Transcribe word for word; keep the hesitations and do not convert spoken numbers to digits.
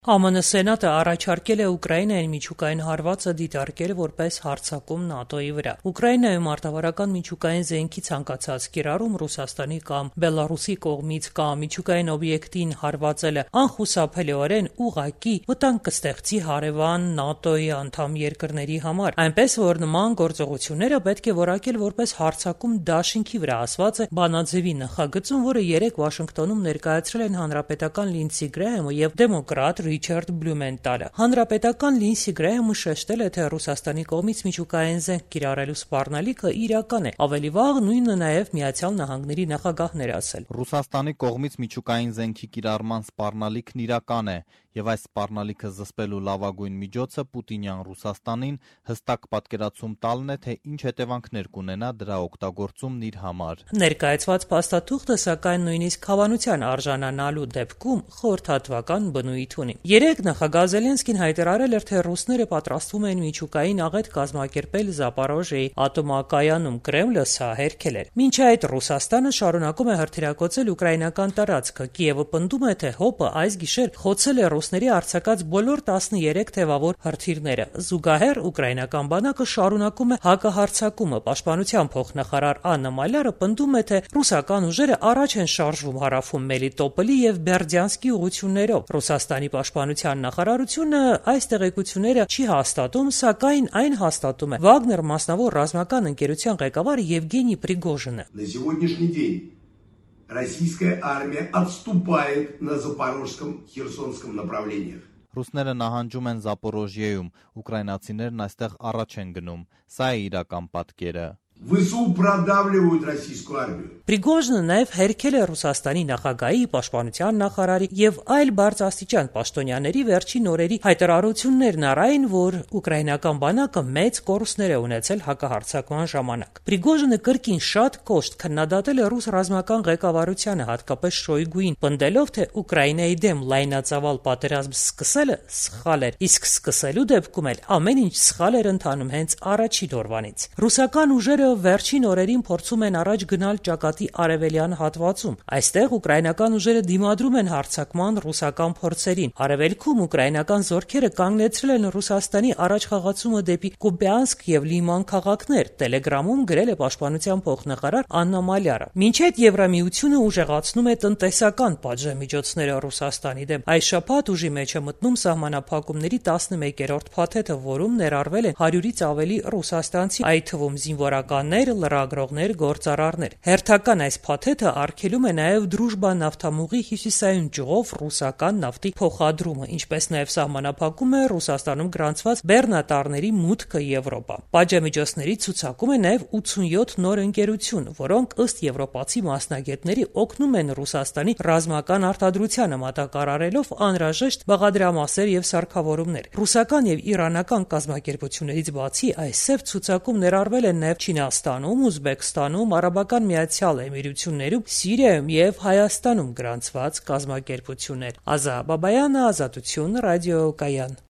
Է Մ Ն Սենատը առաջարկել է Ուկրաինային միջուկային հարվածը դիտարկել որպես հարձակում ՆԱՏՕ-ի վրա։ Ուկրաինայում մարտավարական միջուկային զենքի ցանկացած կիրառում Ռուսաստանի կամ Բելառուսի կողմից կամ միջուկային օբյեկտին հարվածելը անխուսափելիորեն ուղղակի վտանգ կստեղծի հարևան ՆԱՏՕ-ի անդամ երկրների համար, այնպես որ նման գործողությունները պետք է որակել որպես հարձակում դաշինքի վրա, ասված է բանաձևի նախագծում, որը երեկ Վաշինգտոնում ներկայացրել են հանրապետական Լինսի Գրեհեմը եւ դեմոկրատ Ռիչարդ Բլյումենտալը։ Հանրապետական Լինսի Գրեհեմը շեշտել է, թե Ռուսաստանի կողմից միջուկային զենք կիրառելու սպառնալիքը իրական է։ Ավելի վաղ նույնը նաև Միացյալ Նահանգների նախագահն էր ասել։ Ռուսաստանի կողմից միջուկային զենքի կիրառման սպառնալիքն իրական է, եւ այս սպառնալիքը զսպելու լավագույն միջոցը Պուտինյան Ռուսաստանին հստակ պատկերացում տալն է, թե ինչ հետևանքներ կունենա դրա օգտագործումն իր համար։ Ներկայացված փաստաթուղթը, սակայն, նույնիսկ հավանության արժանանալու դեպքում խորհրդատվական բնույթ ունի։ Երեկ նախագահ Զելենսկին հայտարարել էր, թե ռուսները պատրաստվում են միջուկային աղետ կազմակերպել Զապորոժիեի ատոմակայանում։ Կրեմլը սա հերքել էր։ Մինչ այդ Ռուսաստանը շարունակում է հրթիռակոծել ուկրաինական տարածքը։ Կիևը պնդում է, թե ՀՕՊ-ը այս գիշեր խոցել է ռուսների արձակած բոլոր տասներեք թևավոր հրթիռները։ Զուգահեռ ուկրաինական բանակը շարունակում է հակահարձակումը։ Պաշտպանության փոխնախարար Աննա Մալյարը պնդում է, թե ռուսական ուժերը առաջ են շարժվում հարավում Մելիտոպոլի եւ Բերդյանսկի ուղղություններով։ Ռուսաստանի պաշտպանության նախարարությունը այս տեղեկությունները չի հաստատում, սակայն այն հաստատում է Վագներ մասնավոր ռազմական ընկերության ղեկավար Եվգենի Պրիգոժինը։ Российская армия отступает на Запорожском, Херсонском направлениях. Ռուսները նահանջում են Զապորոժիեում, ուկրաինացիներն այստեղ առաջ են գնում։ Սա է իրական պատկերը։ ՎՍУ продавливают российскую армию. Պրիգոժինը նաև հերքել է Ռուսաստանի նախագահի, պաշտպանության նախարարի եւ այլ բարձրաստիճան պաշտոնյաների վերջին օրերի հայտարարություններն առայն, որ ուկրաինական բանակը մեծ կորուստներ է ունեցել հակահարձակման ժամանակ։ Պրիգոժինը կրկին շատ կոշտ քննադատել է ռուս ռազմական ղեկավարությանը, հատկապես Շոյգուին, պնդելով, թե Ուկրաինայի դեմ լայնածավալ պատերազմ սկսելը սխալ էր, իսկ սկսելու դեպքում էլ ամեն ինչ սխալ էր ընթանում հենց առաջին օրվանից։ Ռուսական ուժերը վերջին օրերին փորձում են առաջ գնալ ճակատի արևելյան հատվածում։ Այստեղ ուկրաինական ուժերը դիմադրում են հարձակման ռուսական փորձերին։ Արևելքում ուկրաինական զորքերը կանգնեցրել են Ռուսաստանի առաջխաղացումը դեպի Կուպյանսկ եւ Լիման քաղաքներ։ Տելեգրամում գրել է պաշտպանության փոխնախարար Աննա Մալյարը։ Մինչեւ Եվրամիությունը ուժեղացնում է տնտեսական պատժամիջոցները Ռուսաստանի դեմ, այս շաբաթ ուժի մեջ է մտնում սահմանափակումների տասնմեկերորդ փաթեթը, որում ներառվել են հարյուրից ավելի ռուսաստանցի, այդ թվում զինվորականներ, լրագրողներ, գործարարներ։ Հերթական այս փաթեթը արգելում է նաև Դրուժբա նավթամուղի հյուսիսային ճյուղով ռուսական նավթի փոխադրումը, ինչպես նաև սահմանափակում է Ռուսաստանում գրանցված բեռնատարների մուտքը Եվրոպա։ Պատժամիջոցների ցուցակում է նաև ութսունյոթ նոր ընկերություն, որոնք ըստ եվրոպացի մասնագետների օգնում են Ռուսաստանի ռազմական արտադրությանը, մատակարարելով անհրաժեշտ բաղադրամասեր եւ սարքավորումներ։ Ռուսական եւ իրանական կազմակերպություններից բացի այս սև ցուցակում ներառվել են նաև Չինաստանում, Ուզբեկստանում, Արաբական Միացյալ Էմիրություններում, Սիրիայում եւ Հայաստանում գրանցված կազմակերպություններ։ Ազա Բաբայանը, Ազատություն, ռադիոկայան։